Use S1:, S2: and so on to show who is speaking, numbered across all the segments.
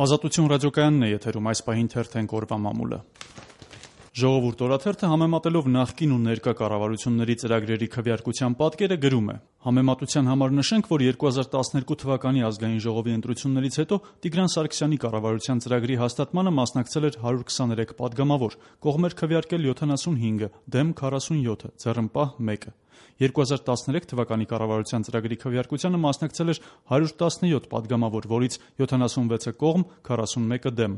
S1: Ազատություն ռադիոկայանն է եթերում, այս պահին թերթենք օրվա մամուլը։ Ժողովուրդ օրաթերթը համեմատելով նախկին ու ներկա կառավարությունների ծրագրերի քվեարկության պատկերը գրում է. Համեմատության համար նշենք, որ 2012 թվականի ազգային ժողովի ընտրություններից հետո Տիգրան Սարգսյանի կառավարության ծրագրի հաստատմանը մասնակցել էր 123 падգամավոր, կողմեր քվեարկել 75, դեմ 47, ձեռնպահ 1։ 2013 թվականի կառավարության ծրագրի քվեարկությանը մասնակցել էր 117 падգամավոր, որից 76-ը կողմ, 41-ը դեմ։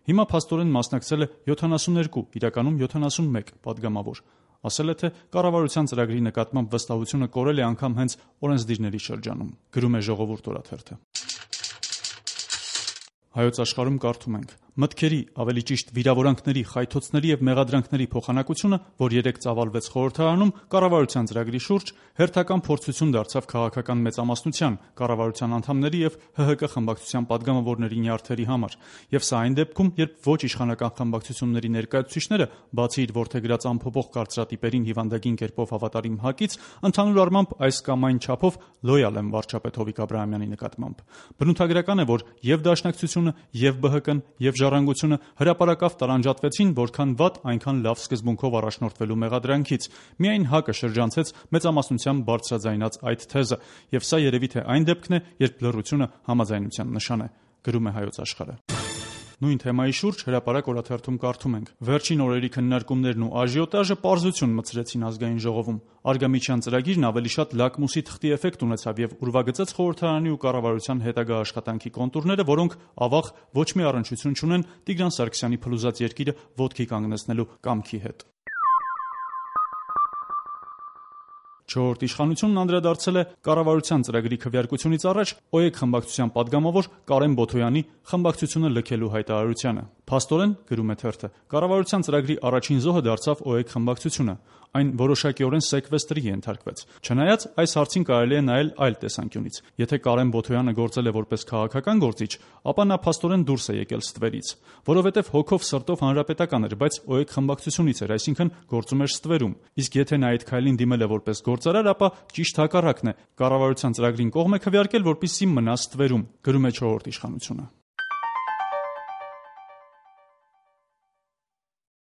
S1: Հիմա փաստորեն մասնակցել է 72, իրականում 71 падգամավոր։ Ասել է, թե կառավարության ծրագրի նկատմամբ վստահությունը կորել է անգամ հենց օրենսդիրների շրջանում։ Գրում է Ժողովուրդ օրաթերթը։ Հայոց աշխարհում կարդում ենք. մտքերի, ավելի ճիշտ վիրավորանքների, խայթոցների եւ մեղադրանքների փոխանակությունը, որ երեկ ծավալվեց խորհրդարանում, կառավարության ծրագրի շուրջ հերթական փորձություն դարձավ քաղաքական մեծամասնության, կառավարության անդամների եւ ՀՀԿ խմբակցության падգամավորների նյարդերի համար։ Եվ սա այն դեպքում, երբ ոչ իշխանական խմբակցությունների ներկայացուցիչները, բացի իր որդեգրած ամփոփող կարծրատիպերին հիվանդագին կերպով հավատարիմ ՀԱԿ-ից, ընդհանուր առմամբ այս կամ այն չափով լոյալ են վարչապետ Հովիկ Աբրահամյանի նկատմամբ։ Բնութագրական է, որ եւ Դաշնակցությունը, եւ ԲՀԿ-ն, եւ Ժառանգությունը հրապարակավ տարանջատվեցին, որքան վատ, այնքան լավ սկզբունքով առաջնորդվելու մեղադրանքից։ Միայն ՀԱԿ-ը շրջանցեց մեծամասնությամբ բարձրաձայնած այդ թեզը, եւ սա երևի թե այն դեպքն է, երբ լռությունը համաձայնության նշան է։ Գրում է Հայոց աշխարհը։ Նույն թեմայի շուրջ Հրապարակ օրաթերթում կարդում ենք. Վերջին օրերի քննարկումներն ու աժիոտաժը պարզություն մցրեցին ազգային ժողովում։ Արգամիչյան ծրագիրն ավելի շատ լակմուսի թղթի էֆեկտ ունեցավ եւ ուրվագծեց խորհրդարանի ու կառավարության հետագա աշխատանքի կոնտուրները, որոնք ավաղ ոչ մի առնչություն չունեն Տիգրան Սարգսյանի փլուզած երկիրը ոտքի կանգնեցնելու կամքի հետ։ Չորրորդ իշխանությունն անդրադարձել է կառավարության ծրագրի քվեարկությունից առաջ ՕԵԿ խմբակցության падգամավոր Կարեն Բոթոյանի խմբակցությունը լքելու հայտարարությանը։ Փաստորեն, գրում է թերթը, կառավարության ծրագրի առաջին զոհը դարձավ ՕԵԿ խմբակցությունը։ Այն որոշակիորեն սեկվեստրի ենթարկվեց։ Չնայած այս հարցին կարելի է նայել այլ տեսանկյունից։ Եթե Կարեն Բոթոյանը գործել է որպես քաղաքական գործիչ, ապա նա փաստորեն դուրս է եկել ստվերից, որովհետև հոգով սրտով հանրապետական էր, բայց ՕԵԿ խմբակցությունից էր, այսինքն գործում էր ստվերում։ Իսկ եթե նա այդ քայլին դիմել է որպես գործարար, ապա ճիշտ հակառակն է։ Կառավարության ծրագրին կողմ է քվեարկել, որպեսզի մնա ստվերում, գրում է Չորրորդ իշխանությունը։